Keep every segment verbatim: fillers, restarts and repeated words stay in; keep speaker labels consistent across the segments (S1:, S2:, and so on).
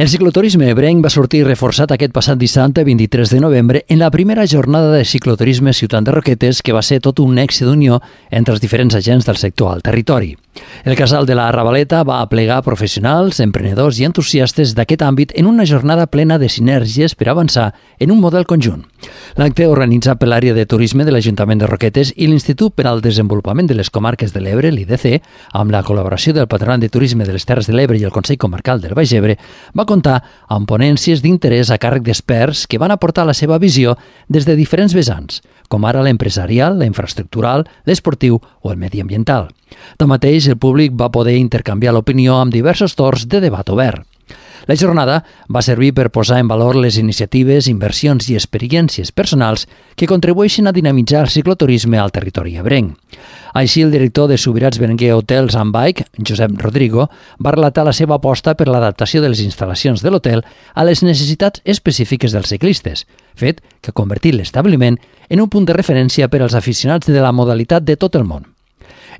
S1: El cicloturisme ebrenc va sortir reforçat aquest passat dissabte vint-i-tres de novembre en la primera jornada de cicloturisme Ciutat de Roquetes, que va ser tot un èxit d'unió entre els diferents agents del sector al territori. El Casal de la Ravaleta va aplegar professionals, emprenedors i entusiastes d'aquest àmbit en una jornada plena de sinergies per avançar en un model conjunt. L'acte, organitzat per l'àrea de turisme de l'Ajuntament de Roquetes i l'Institut per al Desenvolupament de les Comarques de l'Ebre, l'I D C, amb la col·laboració del Patronat de Turisme de les Terres de l'Ebre i el Consell Comarcal del Baix Ebre, va comptar amb ponències d'interès a càrrec d'experts que van aportar la seva visió des de diferents vessants, com ara l'empresarial, la infraestructural, l'esportiu o el mediambiental. Tanmateix, el públic va poder intercanviar l'opinió amb diversos torns de debat obert. La jornada va servir per posar en valor les iniciatives, inversions i experiències personals que contribueixen a dinamitzar el cicloturisme al territori ebrenc. Així, el director de Subirats Berenguer Hotels and Bike, Josep Rodrigo, va relatar la seva aposta per l'adaptació de les instal·lacions de l'hotel a les necessitats específiques dels ciclistes, fet que ha convertit l'establiment en un punt de referència per als aficionats de la modalitat de tot el món.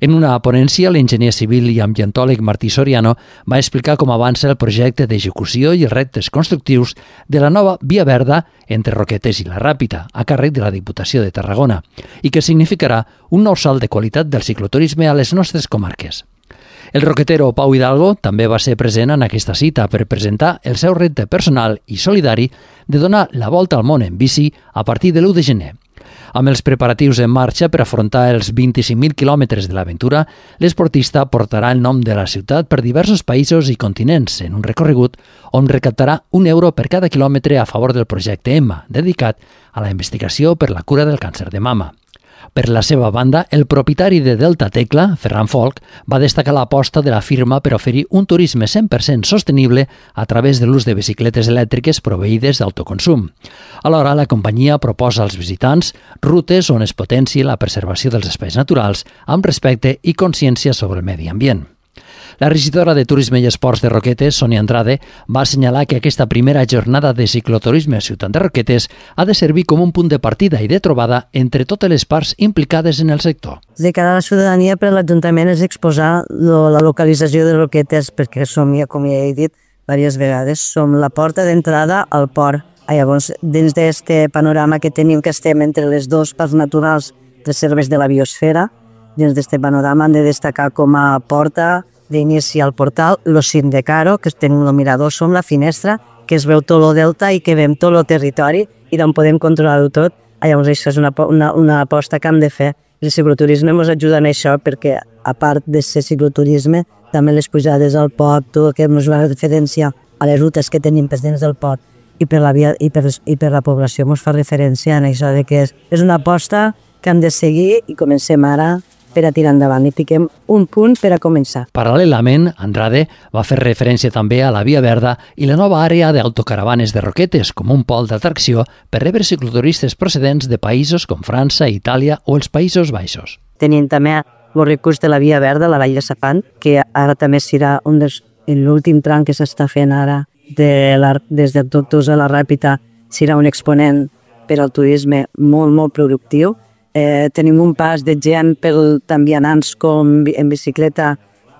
S1: En una ponència, l'enginyer civil i ambientòleg Martí Soriano va explicar com avança el projecte d'execució i els reptes constructius de la nova Via Verda entre Roquetes i la Ràpita, a càrrec de la Diputació de Tarragona, i que significarà un nou salt de qualitat del cicloturisme a les nostres comarques. El roquetero Pau Hidalgo també va ser present en aquesta cita per presentar el seu repte personal i solidari de donar la volta al món en bici a partir de l'u de gener. Amb els preparatius en marxa per afrontar els vint-i-cinc mil quilòmetres de l'aventura, l'esportista portarà el nom de la ciutat per diversos països i continents en un recorregut on recaptarà un euro per cada quilòmetre a favor del projecte Emma, dedicat a la investigació per la cura del càncer de mama. Per la seva banda, el propietari de Delta Tecla, Ferran Folch, va destacar l'aposta de la firma per oferir un turisme cent per cent sostenible a través de l'ús de bicicletes elèctriques proveïdes d'autoconsum. Alhora, la companyia proposa als visitants rutes on es potenciï la preservació dels espais naturals amb respecte i consciència sobre el medi ambient. La regidora de Turisme i Esports de Roquetes, Sònia Andrade, va assenyalar que aquesta primera jornada de cicloturisme a Ciutat de Roquetes ha de servir com un punt de partida i de trobada entre totes les parts implicades en el sector.
S2: De cara a la ciutadania, per l'Ajuntament és exposar la localització de Roquetes, perquè som, com ja he dit diverses vegades, som la porta d'entrada al port. Llavors, dins d'aquest panorama que tenim, que estem entre les dos parts naturals reserves de la biosfera, dins d'aquest panorama han de destacar com a porta d'inici al portal, el cim de Caro, que tenim el mirador, som la finestra, que es veu tot el delta i que veiem tot el territori i d'on podem controlar-ho tot. Llavors, això és una, una, una aposta que hem de fer. El cicloturisme ens ajuda en això perquè, a part de ser cicloturisme, també les pujades al pot, tot el que ens va referència a les rutes que tenim per dins del pot i per la, via, i per, i per la població ens fa referència en això de que és, és una aposta que hem de seguir i comencem ara per a tirar endavant i fiquem un punt per a començar.
S1: Paral·lelament, Andrade va fer referència també a la Via Verda i la nova àrea d'autocaravanes de Roquetes com un pol d'atracció per rebre cicloturistes procedents de països com França, Itàlia o els Països Baixos.
S2: Tenim també el recurs de la Via Verda, la Vall de Sapant, que ara també serà un dels, l'últim tram que s'està fent ara de la, des de Tortosa a la Ràpita, serà un exponent per al turisme molt, molt productiu. Eh, tenim un pas de gent per tant vianants com en bicicleta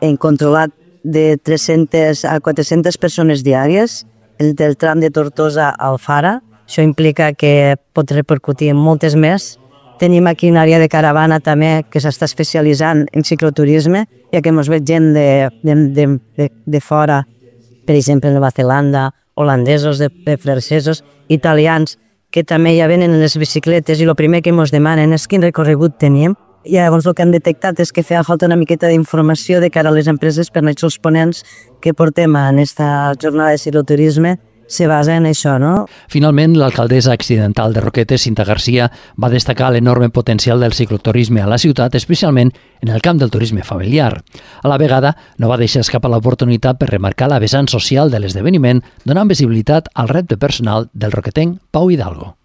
S2: en controlat de tres-centes a quatre-centes persones diàries, el del tram de Tortosa a Alfara. Això implica que pot repercutir en moltes més. Tenim aquí una àrea de caravana també que s'està especialitzant en cicloturisme, ja que ens ve gent de, de, de, de, de fora, per exemple de Nova Zelanda, holandesos, de, de francesos, italians, que també ja venen en les bicicletes i el primer que ens demanen és quin recorregut tenim. I llavors el que han detectat és que feia falta una miqueta d'informació de cara a les empreses per els ponents que portem en aquesta jornada de cicloturisme se basa en això, no?
S1: Finalment, l'alcaldessa accidental de Roquetes, Cinta Garcia, va destacar l'enorme potencial del cicloturisme a la ciutat, especialment en el camp del turisme familiar. A la vegada, no va deixar escapar l'oportunitat per remarcar la vessant social de l'esdeveniment, donant visibilitat al repte personal del roquetenc Pau Hidalgo.